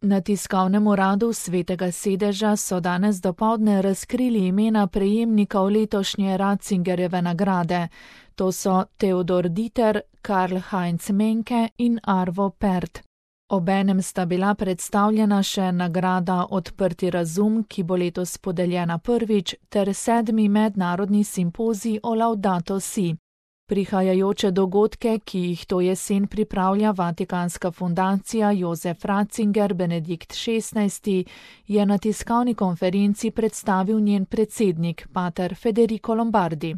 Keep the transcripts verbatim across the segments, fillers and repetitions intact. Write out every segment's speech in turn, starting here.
Na tiskovnem uradu Svetega sedeža so danes dopoldne razkrili imena prejemnikov letošnje Ratzingerjeve nagrade. To so Theodor Dieter, Karl-Heinz Menke in Arvo Pärt. Obenem sta bila predstavljena še nagrada Odprti razum, ki bo letos podeljena prvič, ter sedmi mednarodni simpozij o Laudato si. Prihajajoče dogodke, ki jih to jesen pripravlja Vatikanska fundacija Josef Ratzinger Benedikt šestnajsti, je na tiskovni konferenci predstavil njen predsednik, pater Federico Lombardi.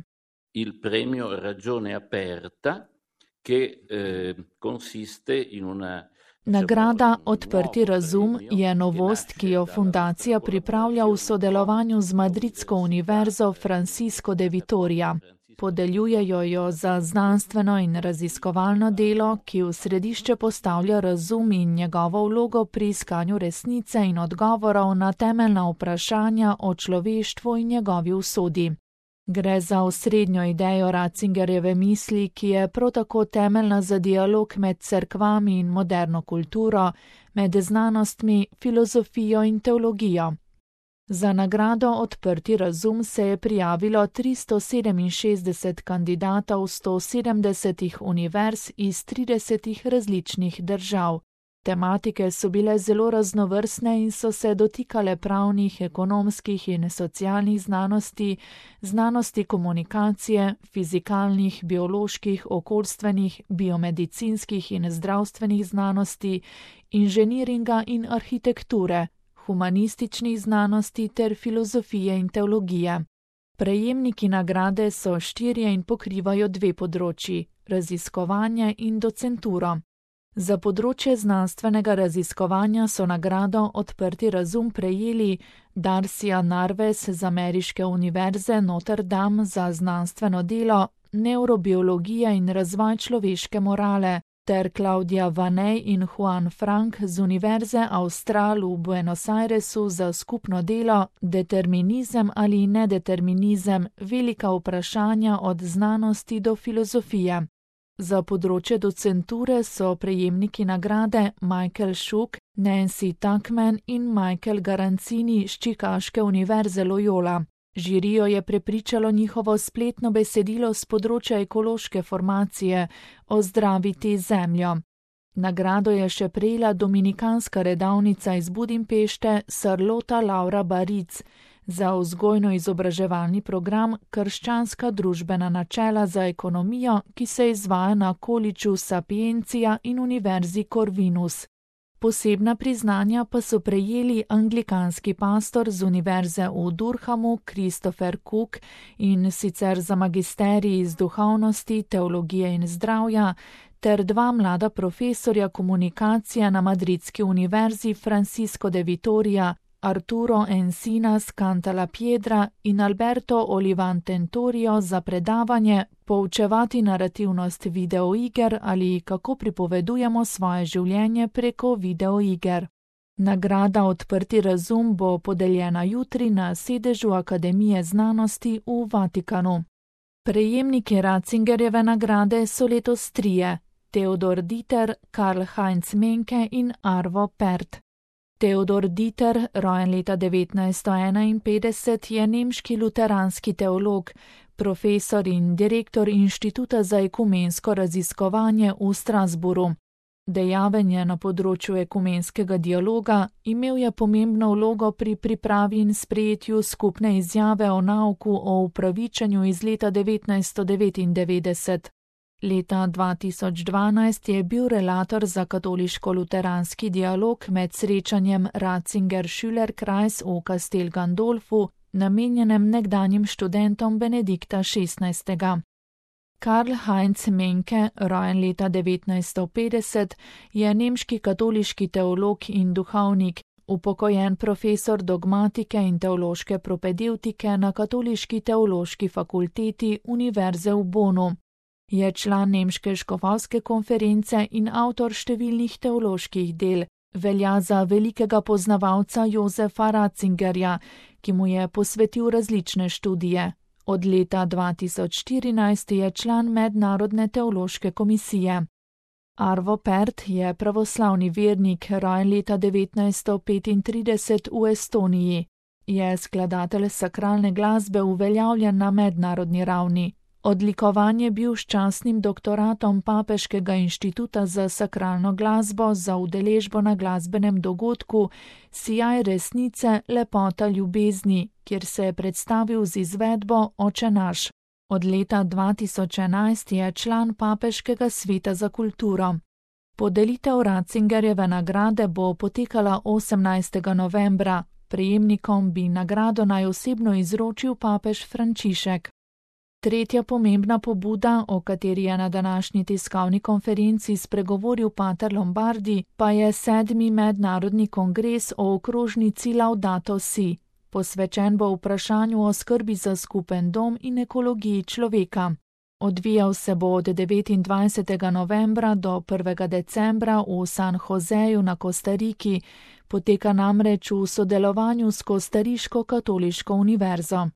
Il premio Ragione Aperta, che eh, consiste in una Nagrada Odprti razum je novost, ki jo fundacija pripravlja v sodelovanju z Madridsko univerzo Francisco de Vitoria. Podeljujejo jo za znanstveno in raziskovalno delo, ki v središče postavlja razum in njegovo vlogo pri iskanju resnice in odgovorov na temeljna vprašanja o človeštvu in njegovi usodi. Gre za osrednjo idejo Ratzingerjeve misli, ki je prav tako temeljna za dialog med cerkvami in moderno kulturo, med znanostmi, filozofijo in teologijo. Za nagrado Odprti razum se je prijavilo tristo sedeminšestdeset kandidatov sto sedemdesetih univerz iz tridesetih različnih držav. Tematike so bile zelo raznovrstne in so se dotikale pravnih, ekonomskih in socialnih znanosti, znanosti komunikacije, fizikalnih, bioloških, okoljstvenih, biomedicinskih in zdravstvenih znanosti, inženiringa in arhitekture, humanističnih znanosti ter filozofije in teologije. Prejemniki nagrade so štirje in pokrivajo dve področji, raziskovanje in docenturo. Za področje znanstvenega raziskovanja so nagrado Odprti razum prejeli Darcia Narves z ameriške univerze Notre Dame za znanstveno delo Neurobiologija in razvoj človeške morale ter Claudia Vanej in Juan Frank z univerze Austral v Buenos Airesu za skupno delo Determinizem ali nedeterminizem, velika vprašanja od znanosti do filozofije. Za področje docenture so prejemniki nagrade Michael Schuck, Nancy Tuckman in Michael Garanzini z Čikaške univerze Loyola. Žirijo je prepričalo njihovo spletno besedilo z področja ekološke formacije Ozdraviti zemljo. Nagrado je še prejela dominikanska redavnica iz Budimpešte Sarlota Laura Baric za vzgojno-izobraževalni program Krščanska družbena načela za ekonomijo, ki se izvaja na Collegeu Sapientia in Univerzi Corvinus. Posebna priznanja pa so prejeli anglikanski pastor z univerze v Durhamu Christopher Cook, in sicer za magisterij iz duhovnosti, teologije in zdravja, ter dva mlada profesorja komunikacije na Madridski univerzi Francisco de Vitoria, Arturo Encinas Cantalapiedra in Alberto Olivan Tentorio za predavanje Poučevati narativnost videoiger ali kako pripovedujemo svoje življenje preko videoiger. Nagrada Odprti razum bo podeljena jutri na sedežu Akademije znanosti v Vatikanu. Prejemniki Ratzingerjeve nagrade so letos trije: Theodor Dieter, Karl-Heinz Menke in Arvo Pärt. Theodor Dieter, rojen leta devetnajststo enainpetdeset, je nemški luteranski teolog, profesor in direktor Inštituta za ekumensko raziskovanje v Strasbourgu. Dejaven je na področju ekumenskega dialoga, imel je pomembno vlogo pri pripravi in sprejetju skupne izjave o nauku o upravičenju iz leta devetnajststo devetindevetdeset. Leta dva tisoč dvanajst je bil relator za katoliško-luteranski dialog med srečanjem Ratzinger-Schülerkreis v Castel Gandolfu, namenjenem nekdanjim študentom Benedikta šestnajstega. Karl-Heinz Menke, rojen leta devetnajststo petdeset, je nemški katoliški teolog in duhovnik, upokojen profesor dogmatike in teološke propedevtike na Katoliški teološki fakulteti Univerze v Bonnu. Je član nemške škofovske konference in avtor številnih teoloških del, velja za velikega poznavalca Josefa Ratzingerja, ki mu je posvetil različne študije. Od leta dva tisoč štirinajst je član Mednarodne teološke komisije. Arvo Pärt je pravoslavni vernik, rojen leta devetnajststo petintrideset v Estoniji. Je skladatelj sakralne glasbe, uveljavljen na mednarodni ravni. Odlikovan je bil s častnim doktoratom Papeškega inštituta za sakralno glasbo za udeležbo na glasbenem dogodku Sijaj resnice, lepota ljubezni, kjer se je predstavil z izvedbo Oče naš. Od leta dva tisoč enajst je član Papeškega sveta za kulturo. Podelitev Ratzingerjeve nagrade bo potekala osemnajstega novembra. Prejemnikom bi nagrado naj osebno izročil papež Frančišek. Tretja pomembna pobuda, o kateri je na današnji tiskovni konferenci spregovoril pater Lombardi, pa je sedmi mednarodni kongres o okrožnici Laudato Si. Posvečen bo vprašanju o skrbi za skupen dom in ekologiji človeka. Odvijal se bo od devetindvajsetega novembra do prvega decembra v San Joseju na Kostariki, poteka namreč v sodelovanju s Kostariško katoliško univerzo.